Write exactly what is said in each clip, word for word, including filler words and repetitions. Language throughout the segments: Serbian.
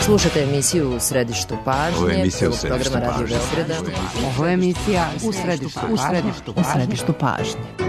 Slušajte emisiju U središtu pažnje. Ovo je emisija U središtu programa Radio pažnje. Beograda. Ovo je emisija U središtu U središtu U središtu pažnje.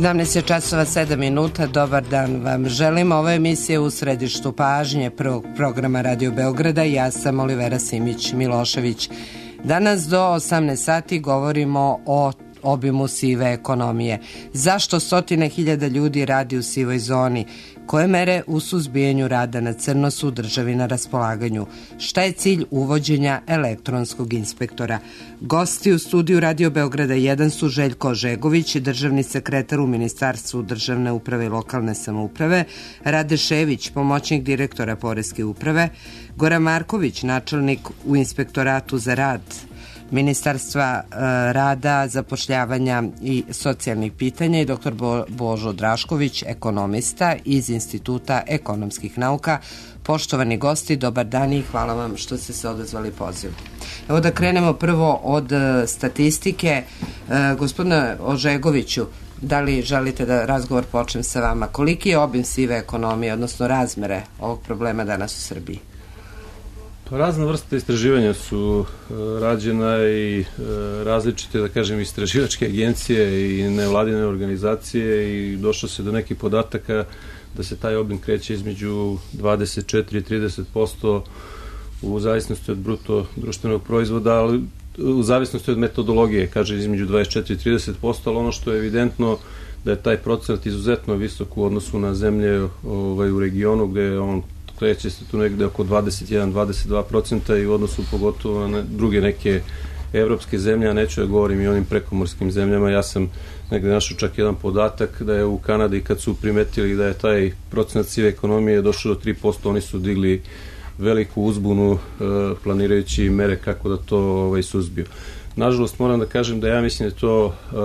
sedamnaest je časova sedam minuta, dobar dan vam želim. Ovo je emisija U središtu pažnje prvog programa Radio Beograda. Ja sam Olivera Simić-Milošević. Danas do osamnaest sati govorimo o obimu sive ekonomije. Zašto stotine hiljada ljudi radi u sivoj zoni? Koje mere u suzbijanju rada na crno su u državi na raspolaganju? Šta je cilj uvođenja elektronskog inspektora? Gosti u studiju Radio Beograda jedan su Željko Ožegović, državni sekretar u Ministarstvu državne uprave i lokalne samouprave, Rade Šević, pomoćnik direktora Poreske uprave, Goran Marković, načelnik u Inspektoratu za rad Ministarstva e, rada, zapošljavanja i socijalnih pitanja i doktor Bo, Božo Drašković, ekonomista iz Instituta ekonomskih nauka. Poštovani gosti, dobar dan i hvala vam što ste se odazvali pozivu. Evo da krenemo prvo od e, statistike. E, gospodine Ožegoviću, da li želite da razgovor počnem sa vama? Koliki je obim sive ekonomije, odnosno razmere ovog problema danas u Srbiji? Razna vrsta istraživanja su e, rađena i e, različite, da kažem, istraživačke agencije i nevladine organizacije i došlo se do nekih podataka da se taj obim kreće između dvadeset četiri i trideset posto u zavisnosti od bruto društvenog proizvoda, ali u zavisnosti od metodologije, kaže između dvadeset četiri i trideset posto, ali ono što je evidentno da je taj procenat izuzetno visok u odnosu na zemlje ovaj, u regionu gde je on kreće se tu negde oko dvadeset jedan do dvadeset dva procenta i u odnosu pogotovo na druge neke evropske zemlje, a neću da govorim i onim prekomorskim zemljama. Ja sam negde našao čak jedan podatak da je u Kanadi kad su primetili da je taj procenat sive ekonomije došao do tri posto, oni su digli veliku uzbunu e, planirajući mere kako da to ovaj, suzbiju. Nažalost, moram da kažem da ja mislim da je to e,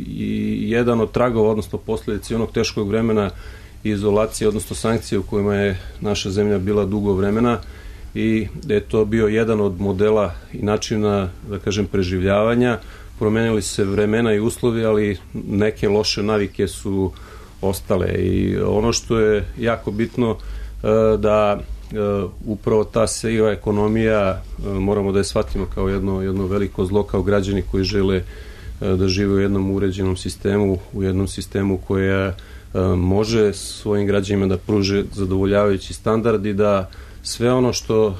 i jedan od tragova, odnosno posljedice onog teškog vremena izolacije, odnosno sankcije u kojima je naša zemlja bila dugo vremena i da je to bio jedan od modela i načina, da kažem, preživljavanja. Promenili se vremena i uslovi, ali neke loše navike su ostale i ono što je jako bitno da upravo ta siva ekonomija moramo da je shvatimo kao jedno, jedno veliko zlo, kao građani koji žele da žive u jednom uređenom sistemu, u jednom sistemu koja može svojim građanima da pruže zadovoljavajući standard i da sve ono što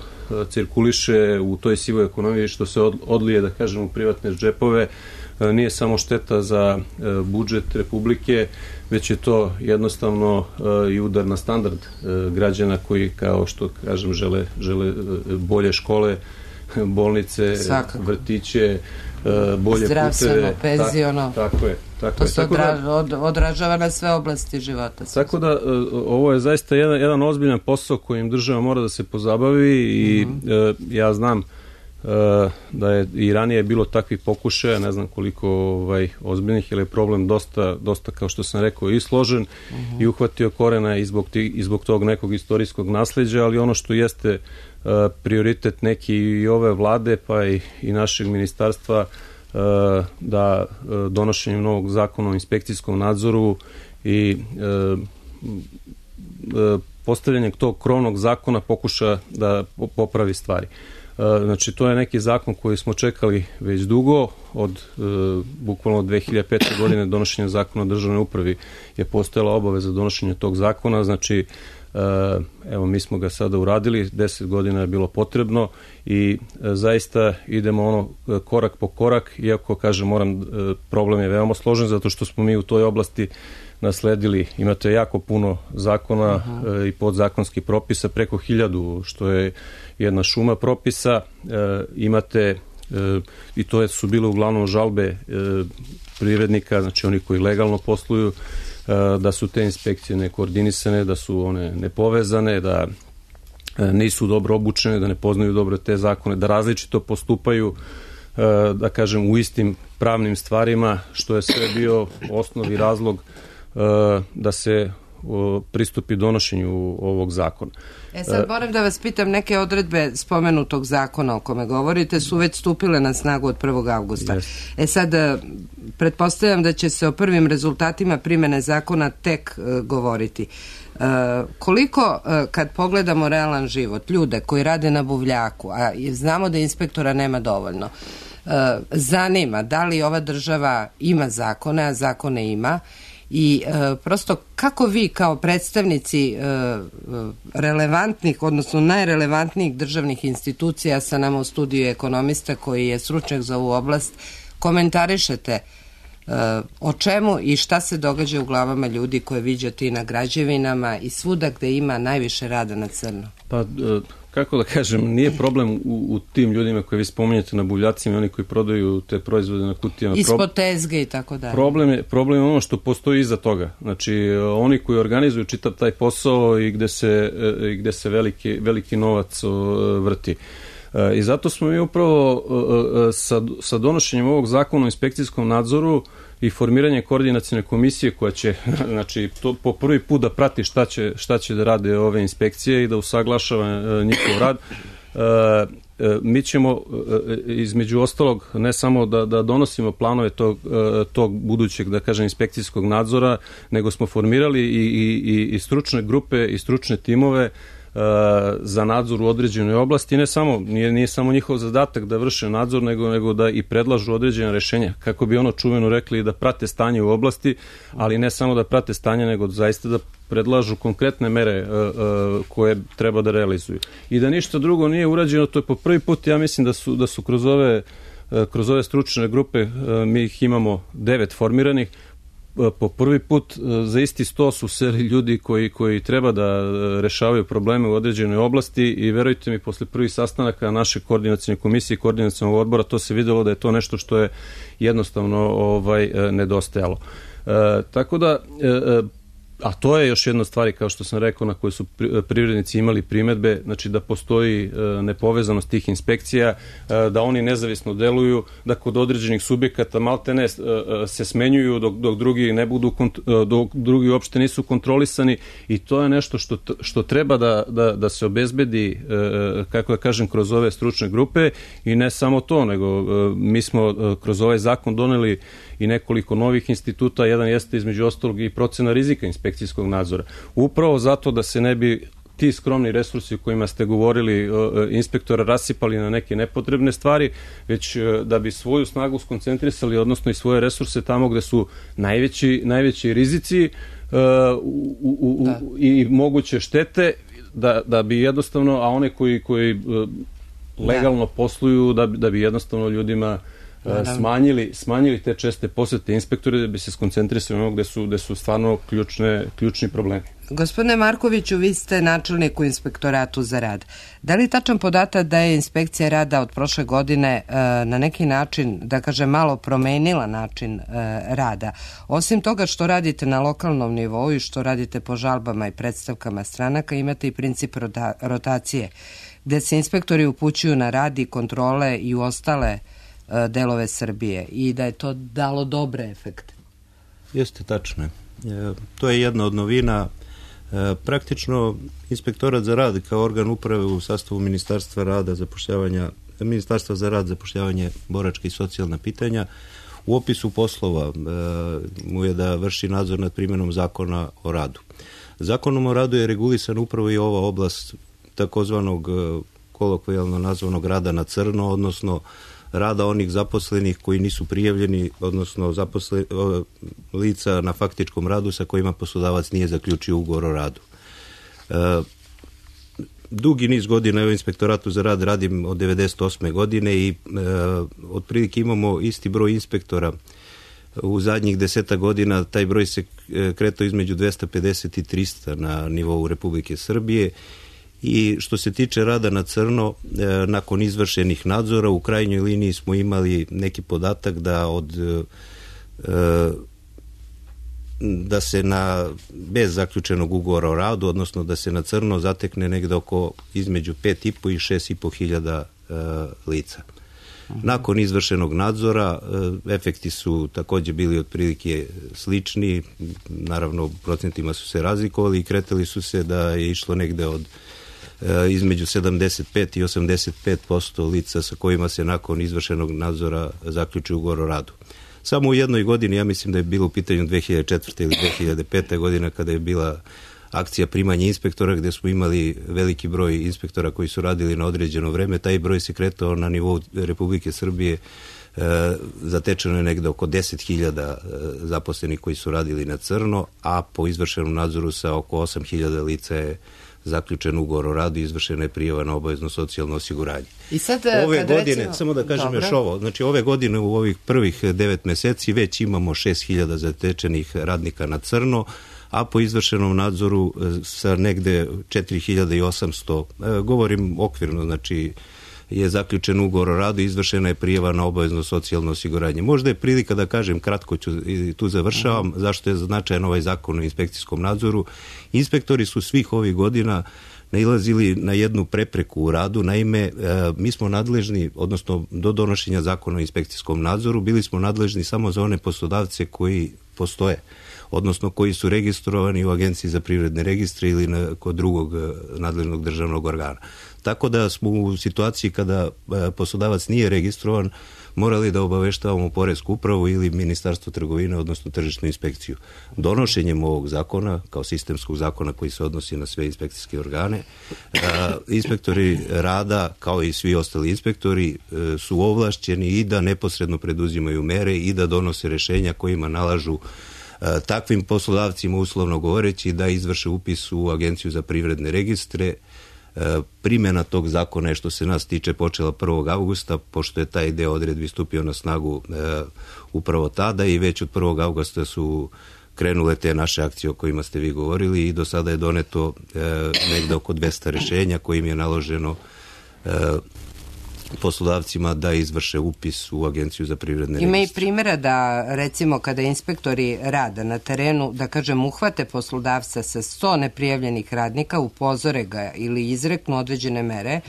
cirkuliše u toj sivoj ekonomiji, što se odlije, da kažem, u privatne džepove, nije samo šteta za budžet Republike, već je to jednostavno i udar na standard građana koji, kao što kažem, žele, žele bolje škole, bolnice, svakako, vrtiće, bolje zdravstveno, puteve. penziono. Ta, tako je. Tako to je. se odra, od, odražava na sve oblasti života. Tako da ovo je zaista jedan, jedan ozbiljan posao kojim država mora da se pozabavi i mm-hmm. ja znam da je i ranije bilo takvih pokušaja, ne znam koliko ovaj, ozbiljnih, jer je problem dosta, dosta, kao što sam rekao, i složen uh-huh. i uhvatio korena i zbog, ti, i zbog tog nekog istorijskog nasleđa, ali ono što jeste uh, prioritet neki i ove vlade, pa i, i našeg ministarstva, uh, da uh, donošenjem novog zakona o inspekcijskom nadzoru i uh, uh, postavljanjem tog krovnog zakona pokuša da popravi stvari. Znači, to je neki zakon koji smo čekali već dugo, od e, bukvalno dve hiljade pete. godine donošenja zakona o državnoj upravi je postojala obaveza donošenja tog zakona, znači e, evo mi smo ga sada uradili, deset godina je bilo potrebno i e, zaista idemo ono korak po korak, iako kažem moram, e, problem je veoma složen zato što smo mi u toj oblasti nasledili, imate jako puno zakona e, i podzakonskih propisa, preko hiljadu, što je jedna šuma propisa, e, imate e, i to je, su bile uglavnom žalbe e, privrednika, znači oni koji legalno posluju, e, da su te inspekcije nekoordinisane, da su one nepovezane, da e, nisu dobro obučene, da ne poznaju dobro te zakone, da različito postupaju, e, da kažem, u istim pravnim stvarima, što je sve bio osnovni razlog e, da se o, pristupi donošenju ovog zakona. E sad moram da vas pitam, neke odredbe spomenutog zakona o kome govorite su već stupile na snagu od prvog avgusta. Yes. E sad, pretpostavljam da će se o prvim rezultatima primene zakona tek uh, govoriti. Uh, koliko, uh, kad pogledamo realan život, ljude koji rade na buvljaku, a znamo da inspektora nema dovoljno, uh, zanima da li ova država ima zakone, a zakone ima, i e, prosto kako vi kao predstavnici e, relevantnih, odnosno najrelevantnijih državnih institucija, sa nama u studiju ekonomista koji je stručnjak za ovu oblast, komentarišete e, o čemu i šta se događa u glavama ljudi koje viđate i na građevinama i svuda gde ima najviše rada na crno? Pa, kako da kažem, nije problem u, u tim ljudima koje vi spominjete na buvljacima i oni koji prodaju te proizvode na kutijama. Ispod tezge i tako dalje. Problem je, problem je ono što postoji iza toga. Znači, oni koji organizuju čitav taj posao i gde se, i gde se veliki, veliki novac vrti. I zato smo mi upravo sa, sa donošenjem ovog zakona o inspekcijskom nadzoru i formiranje koordinacione komisije koja će, znači, to po prvi put da prati šta će, šta će da rade ove inspekcije i da usaglašava njihov rad. Mi ćemo između ostalog ne samo da, da donosimo planove tog, tog budućeg, da kažem, inspekcijskog nadzora, nego smo formirali i, i, i stručne grupe i stručne timove za nadzor u određenoj oblasti. Ne samo, nije, nije samo njihov zadatak da vrše nadzor, nego, nego da i predlažu određene rešenja, kako bi ono čuveno rekli da prate stanje u oblasti, ali ne samo da prate stanje, nego zaista da predlažu konkretne mere uh, uh, koje treba da realizuju. I da ništa drugo nije urađeno, to je po prvi put, ja mislim da su, da su kroz ove, uh, kroz ove stručne grupe, uh, mi ih imamo devet formiranih, po prvi put za isti sto su seli ljudi koji, koji treba da rešavaju probleme u određenoj oblasti i verujte mi, posle prvih sastanaka naše koordinacione komisije i koordinacionog odbora, to se videlo da je to nešto što je jednostavno ovaj, nedostajalo. E, tako da, e, a to je još jedna stvar, kao što sam rekao, na koje su privrednici imali primedbe, znači da postoji nepovezanost tih inspekcija, da oni nezavisno deluju, da kod određenih subjekata maltene se smenjuju dok, dok drugi ne budu, dok drugi uopšte nisu kontrolisani, i to je nešto što, što treba da, da, da se obezbedi, kako da kažem, kroz ove stručne grupe. I ne samo to, nego mi smo kroz ovaj zakon doneli i nekoliko novih instituta, jedan jeste između ostalog i procena rizika inspekcijskog nadzora. Upravo zato da se ne bi ti skromni resursi o kojima ste govorili inspektora rasipali na neke nepotrebne stvari, već da bi svoju snagu skoncentrisali, odnosno i svoje resurse tamo gde su najveći, najveći rizici uh, u, u, u, i moguće štete, da, da bi jednostavno, a one koji, koji uh, legalno posluju, da bi, da bi jednostavno ljudima Smanjili, smanjili te česte posete inspektore, da bi se skoncentrisali ono gde su, gde su stvarno ključne, ključni problemi. Gospodine Markoviću, vi ste načelnik u Inspektoratu za rad. Da li je tačan podatak da je inspekcija rada od prošle godine e, na neki način, da kažem, malo promenila način e, rada? Osim toga što radite na lokalnom nivou i što radite po žalbama i predstavkama stranaka, imate i princip rota, rotacije, gde se inspektori upućuju na rad i kontrole i u ostale e, delove Srbije i da je to dalo dobre efekte. Jeste, tačno je. E, to je jedna od novina. E, praktično Inspektorat za rad kao organ uprave u sastavu Ministarstva rada, zapošljavanja, Ministarstva za rad, zapošljavanje, boračka i socijalna pitanja, u opisu poslova e, mu je da vrši nadzor nad primjenom zakona o radu. Zakonom o radu je regulisan upravo i ova oblast takozvanog kolokvijalno nazvanog rada na crno, odnosno rada onih zaposlenih koji nisu prijavljeni, odnosno zaposle, lica na faktičkom radu sa kojima poslodavac nije zaključio ugovor o radu. E, dugi niz godina u Inspektoratu za rad radim od devedeset osme godine i e, otprilike imamo isti broj inspektora. U zadnjih deseta godina taj broj se kretao između dvesta pedeset i trista na nivou Republike Srbije. I što se tiče rada na crno, e, nakon izvršenih nadzora, u krajnjoj liniji smo imali neki podatak da od e, da se na bez zaključenog ugovora o radu, odnosno da se na crno zatekne negde oko između pet i po i šest i po hiljada e, lica. Nakon izvršenog nadzora, e, efekti su takođe bili otprilike slični, naravno u procentima su se razlikovali i kretali su se da je išlo negde od između sedamdeset pet i osamdeset pet posto lica sa kojima se nakon izvršenog nadzora zaključi ugovor o radu. Samo u jednoj godini, ja mislim da je bilo u pitanju dve hiljade četvrte ili dve hiljade pete godina kada je bila akcija primanja inspektora gde smo imali veliki broj inspektora koji su radili na određeno vreme, taj broj se kretao na nivou Republike Srbije, e, zatečeno je negde oko deset hiljada zaposlenih koji su radili na crno, a po izvršenom nadzoru sa oko osam hiljada lica je zaključen ugovor o radu i izvršena je prijava na obavezno socijalno osiguranje. I sad, ove godine, recimo, samo da kažem dobro. još ovo, znači ove godine u ovih prvih devet meseci već imamo šest hiljada zatečenih radnika na crno, a po izvršenom nadzoru sa negde četiri hiljade osamsto, govorim okvirno, znači je zaključen ugovor o radu i izvršena je prijava na obavezno socijalno osiguranje. Možda je prilika da kažem, kratko ću i tu završavam, zašto je značajan ovaj zakon o inspekcijskom nadzoru. Inspektori su svih ovih godina nailazili na jednu prepreku u radu. Naime, mi smo nadležni, odnosno do donošenja zakona o inspekcijskom nadzoru, bili smo nadležni samo za one poslodavce koji postoje, odnosno koji su registrovani u Agenciji za privredne registre ili na, kod drugog nadležnog državnog organa. Tako da smo u situaciji kada poslodavac nije registrovan morali da obaveštavamo Poresku upravu ili Ministarstvo trgovine, odnosno tržišnu inspekciju. Donošenjem ovog zakona, kao sistemskog zakona koji se odnosi na sve inspekcijske organe, inspektori rada, kao i svi ostali inspektori, su ovlašćeni i da neposredno preduzimaju mere i da donose rešenja kojima nalažu takvim poslodavcima, uslovno govoreći, da izvrše upis u Agenciju za privredne registre. Primjena tog zakona je, što se nas tiče, počela prvog avgusta, pošto je taj deo odredbi stupio na snagu e, upravo tada i već od prvog avgusta su krenule te naše akcije o kojima ste vi govorili i do sada je doneto e, negde oko dvesta rešenja kojim je naloženo e, poslodavcima da izvrše upis u Agenciju za privredne registre. Ima i primjera da, recimo, kada inspektori rada na terenu, da kažem, uhvate poslodavca sa sto neprijavljenih radnika, upozore ga ili izreknu određene mere,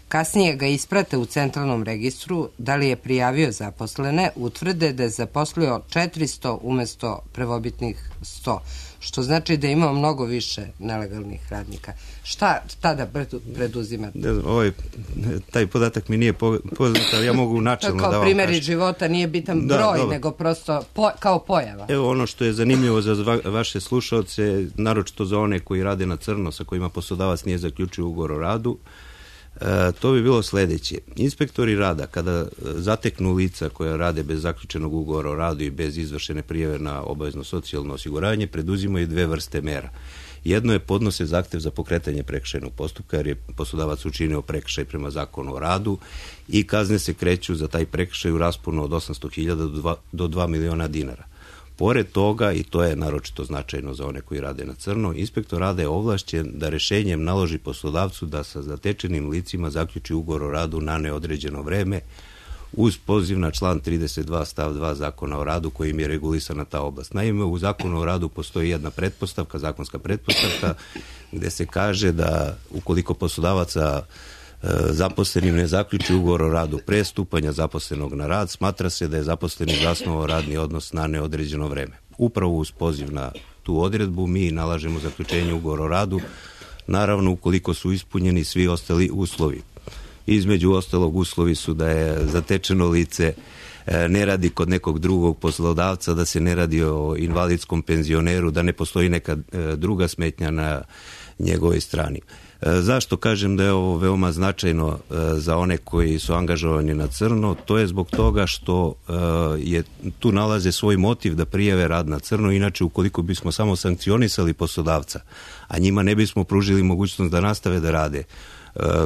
kasnije ga isprate u centralnom registru, da li je prijavio zaposlene, utvrde da je zaposlio četiristo umesto prvobitnih sto, što znači da ima mnogo više nelegalnih radnika. Šta tada preduzimate? Ne znam, ovaj, taj podatak mi nije poznat, ali ja mogu načelno da vam kažem. Kao primjer iz života nije bitan da, broj, dobro. nego prosto po, kao pojava. Evo ono što je zanimljivo za va, vaše slušalce, naročito za one koji rade na crno, sa kojima poslodavac nije zaključio ugovor o radu, E, to bi bilo sledeće. Inspektori rada, kada zateknu lica koja rade bez zaključenog ugovora o radu i bez izvršene prijave na obavezno socijalno osiguranje, preduzimaju dve vrste mera. Jedno je podnose zahtev za pokretanje prekršajnog postupka, jer je poslodavac učinio prekršaj prema zakonu o radu i kazne se kreću za taj prekršaj u rasponu od osamsto hiljada do dva miliona dinara. Pored toga, i to je naročito značajno za one koji rade na crno, inspektor rada je ovlašćen da rešenjem naloži poslodavcu da sa zatečenim licima zaključi ugovor o radu na neodređeno vreme uz poziv na član trideset dva stav dva Zakona o radu kojim je regulisana ta oblast. Naime, u Zakonu o radu postoji jedna pretpostavka, zakonska pretpostavka, gde se kaže da ukoliko poslodavaca zaposlenim ne zaključi ugovor o radu pre stupanja zaposlenog na rad, smatra se da je zaposleni zasnovao radni odnos na neodređeno vreme. Upravo uz poziv na tu odredbu mi nalažemo zaključenje ugovora o radu, naravno ukoliko su ispunjeni svi ostali uslovi. Između ostalog uslovi su da je zatečeno lice ne radi kod nekog drugog poslodavca, da se ne radi o invalidskom penzioneru, da ne postoji neka druga smetnja na njegovoj strani. Zašto kažem da je ovo veoma značajno za one koji su angažovani na crno? To je zbog toga što je, tu nalaze svoj motiv da prijave rad na crno, inače ukoliko bismo samo sankcionisali poslodavca, a njima ne bismo pružili mogućnost da nastave da rade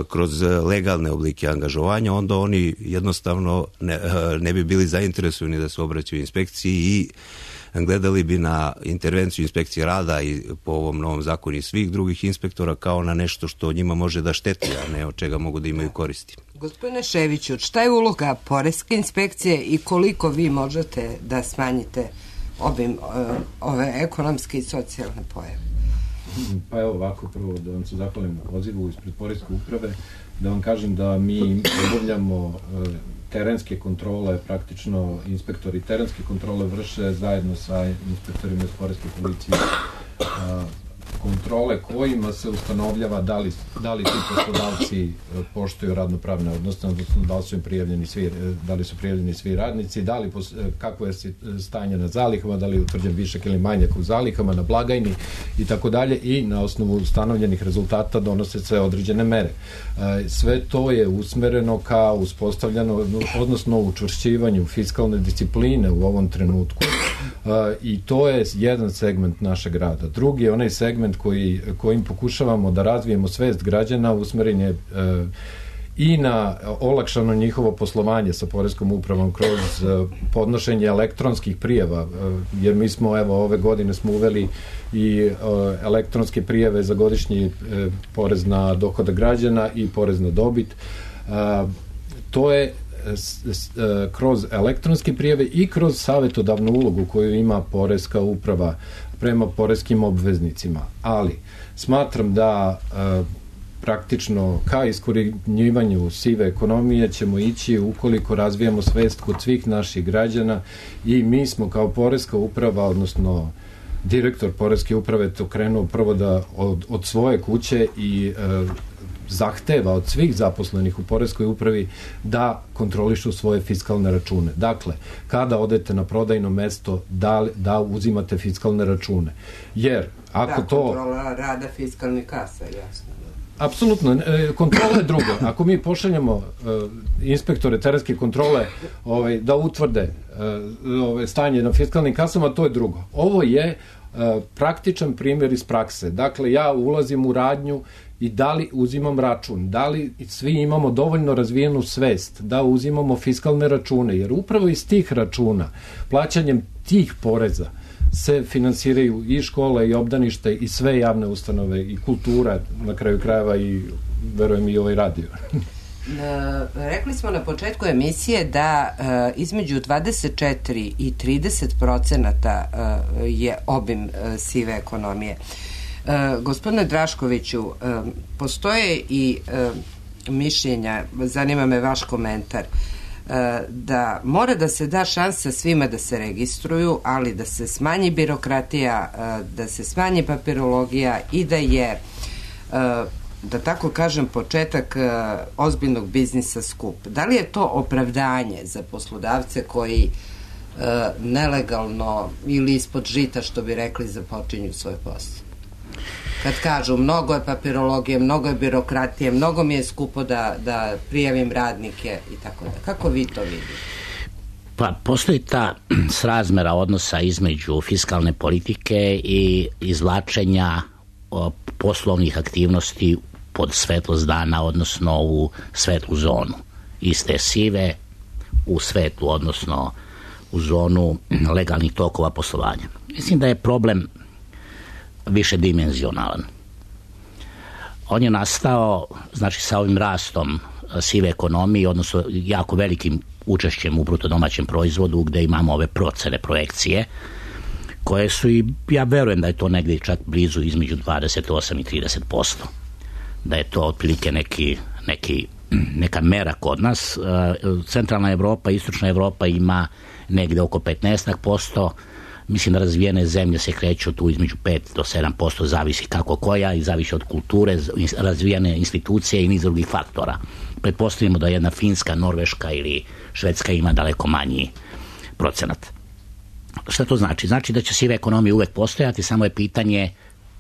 kroz legalne oblike angažovanja, onda oni jednostavno ne, ne bi bili zainteresovani da se obraćaju inspekciji i gledali bi na intervenciju inspekcije rada i po ovom novom zakonu i svih drugih inspektora kao na nešto što njima može da šteti, a ne od čega mogu da imaju koristi. Gospodine Ševiću, šta je uloga poreske inspekcije i koliko vi možete da smanjite obim ove ekonomske i socijalne pojave? Pa evo ovako, prvo da vam se zahvalim na pozivu ispred poreske uprave, da vam kažem da mi obavljamo terenske kontrole, praktično inspektori terenske kontrole vrše zajedno sa inspektorima iz poreske policije kontrole kojima se ustanovljava da li, da li ti poslodavci poštuju radnopravne odnose, odnosno da li su im prijavljeni svi, da li su prijavljeni svi radnici, da li kako je stanje na zalihama, da li je utvrđen višak ili manjak u zalihama, na blagajni i tako dalje, i na osnovu ustanovljenih rezultata donose se određene mere. Sve to je usmereno ka uspostavljano, odnosno učvršćivanju fiskalne discipline u ovom trenutku, i to je jedan segment našeg rada. Drugi je onaj segment koji, kojim pokušavamo da razvijemo svest građana, usmeren je e, i na olakšano njihovo poslovanje sa poreskom upravom kroz e, podnošenje elektronskih prijava, e, jer mi smo, evo, ove godine smo uveli i e, elektronske prijave za godišnji e, porez na dohodak građana i porez na dobit. E, to je kroz elektronske prijave i kroz savetodavnu ulogu koju ima poreska uprava prema poreskim obveznicima. Ali smatram da e, praktično ka iskorjenjivanju sive ekonomije ćemo ići ukoliko razvijamo svest kod svih naših građana, i mi smo kao poreska uprava, odnosno direktor poreske uprave to krenuo prvo da od, od svoje kuće i e, zahteva od svih zaposlenih u poreskoj upravi da kontrolišu svoje fiskalne račune. Dakle, kada odete na prodajno mesto, da, da uzimate fiskalne račune. Jer, ako da, to... kontrola rada fiskalnih kasa, jasno. Apsolutno, kontrola je drugo. Ako mi pošaljemo uh, inspektore terenske kontrole ovaj, da utvrde uh, ovaj, stanje na fiskalnim kasama, to je drugo. Ovo je uh, praktičan primjer iz prakse. Dakle, ja ulazim u radnju i da li uzimam račun, da li svi imamo dovoljno razvijenu svest da uzimamo fiskalne račune, jer upravo iz tih računa, plaćanjem tih poreza, se finansiraju i škole i obdanište i sve javne ustanove i kultura, na kraju krajeva, i verujem i ovaj radio. Rekli smo na početku emisije da uh, između dvadeset četiri i trideset procenata uh, je obim uh, sive ekonomije. Uh, gospodine Draškoviću, uh, postoje i uh, mišljenja, zanima me vaš komentar, uh, da mora da se da šansa svima da se registruju, ali da se smanji birokratija, uh, da se smanji papirologija i da je, uh, da tako kažem, početak uh, ozbiljnog biznisa skup. Da li je to opravdanje za poslodavce koji uh, nelegalno ili ispod žita, što bi rekli, započinju svoj posao? Kad kažu mnogo je papirologije, mnogo je birokratije, mnogo mi je skupo da, da prijavim radnike i tako da. Kako vi to vidite? Pa postoji ta srazmera odnosa između fiskalne politike i izvlačenja o, poslovnih aktivnosti pod svetlost dana, odnosno u svetlu zonu. Iz te sive u svetlu, odnosno u zonu legalnih tokova poslovanja. Mislim da je problem višedimenzionalan. On je nastao, znači, sa ovim rastom sive ekonomije, odnosno jako velikim učešćem u bruto domaćem proizvodu, gde imamo ove procene, projekcije, koje su, i ja verujem da je to negdje čak blizu između dvadeset osam i trideset posto. Da je to otprilike neki, neki, neka mera kod nas. Centralna Evropa, Istočna Evropa ima negdje oko petnaest posto. Mislim da razvijene zemlje se kreću tu između pet do sedam posto, zavisi kako koja i zavisi od kulture, razvijene institucije i niz drugih faktora. Pretpostavimo da jedna Finska, Norveška ili Švedska ima daleko manji procenat. Šta to znači? Znači da će sive ekonomije uvek postojati, samo je pitanje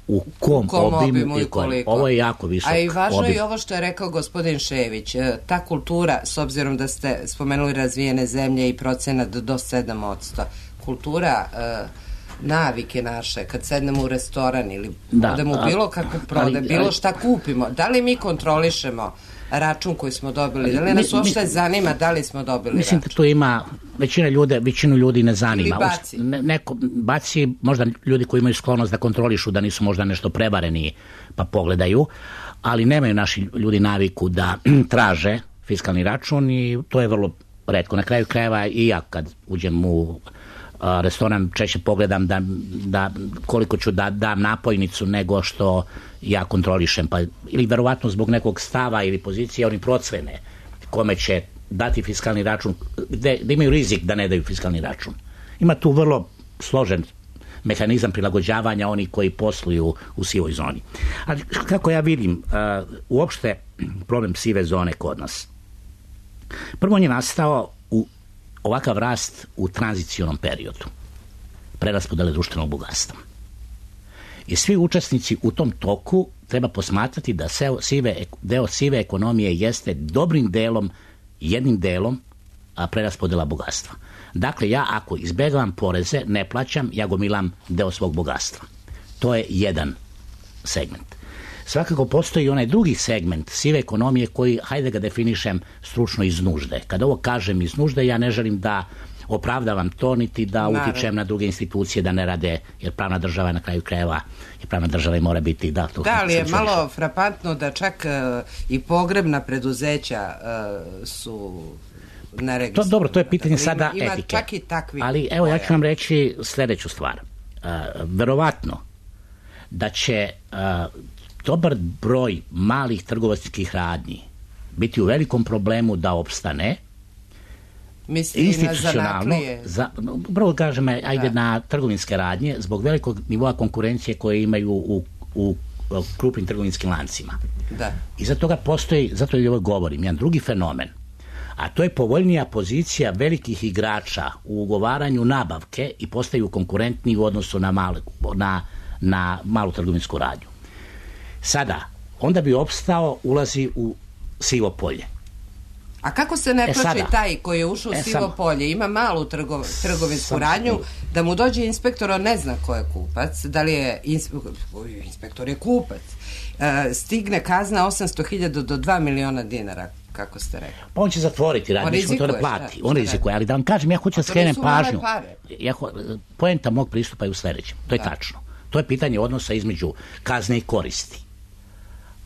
u kom, kom obimu i koliko. Ovo je jako visok obim. A i važno obim. je ovo što je rekao gospodin Šević. Ta kultura, s obzirom da ste spomenuli razvijene zemlje i procenat do sedam posto, kultura, navike naše, kad sednemo u restoran ili da, odemo u bilo kakvu prodaj, bilo šta kupimo, da li mi kontrolišemo račun koji smo dobili, da li nas uopšte zanima da li smo dobili mislim račun? Da tu ima, većina ljude, većinu ljudi ne zanima. Ili baci. Ne, neko, baci možda ljudi koji imaju sklonost da kontrolišu, da nisu možda nešto prevareni pa pogledaju, ali nemaju naši ljudi naviku da traže fiskalni račun i to je vrlo retko. Na kraju krajeva i ja kad uđem u a, restoran češće pogledam da, da koliko ću da dam napojnicu nego što ja kontrolišem, pa ili verovatno zbog nekog stava ili pozicije oni procvene kome će dati fiskalni račun, gde, gde imaju rizik da ne daju fiskalni račun. Ima tu vrlo složen mehanizam prilagođavanja oni koji posluju u sivoj zoni. Ali kako ja vidim uh, uopšte problem sive zone kod nas? Prvo on je nastao u ovakav rast u tranzicionom periodu preraspodele društvenog bogatstva. I svi učesnici u tom toku treba posmatrati da sive, deo sive ekonomije jeste dobrim delom, jednim delom a preraspodela bogatstva. Dakle, ja ako izbegavam poreze, ne plaćam, ja gomilam deo svog bogatstva. To je jedan segment. Svakako postoji onaj drugi segment sive ekonomije koji, hajde ga definišem stručno, iz nužde. Kada ovo kažem iz nužde, ja ne želim da opravdavam to, niti da Naravno. utičem na druge institucije da ne rade, jer pravna država na kraju krajeva i pravna država mora biti da to. Da, ali je malo frapantno da čak uh, i pogrebna preduzeća uh, su to, dobro, to je pitanje sada ima, etike. Ima čak i takvi ali evo ja ću vam reći sljedeću stvar. Uh, verovatno da će uh, dobar broj malih trgovačkih radnji biti u velikom problemu da opstane. Misli institucionalno, za, prvo kažem, ajde da. na trgovinske radnje, zbog velikog nivoa konkurencije koje imaju u, u, u krupnim trgovinskim lancima. Da. I zato toga postoji, zato i ovo govorim, jedan drugi fenomen, a to je povoljnija pozicija velikih igrača u ugovaranju nabavke i postaju konkurentni u odnosu na, mal, na, na malu trgovinsku radnju. Sada, onda bi opstao, ulazi u sivo polje. A kako se ne e plaći sada, taj koji je ušao u e sivo sam, polje, ima malu trgo, trgovinsku radnju, da mu dođe inspektor, on ne zna ko je kupac, da li je inspektor, inspektor je kupac, e, stigne kazna osamsto hiljada do dva miliona dinara, kako ste rekli. Pa on će zatvoriti radnje, on, to da plati, šta, on rizikuje, ali da vam kažem, ja hoću da skrenem pažnju. Ja, poenta mog pristupa je u sljedećem, to je da. tačno. To je pitanje odnosa između kazne i koristi.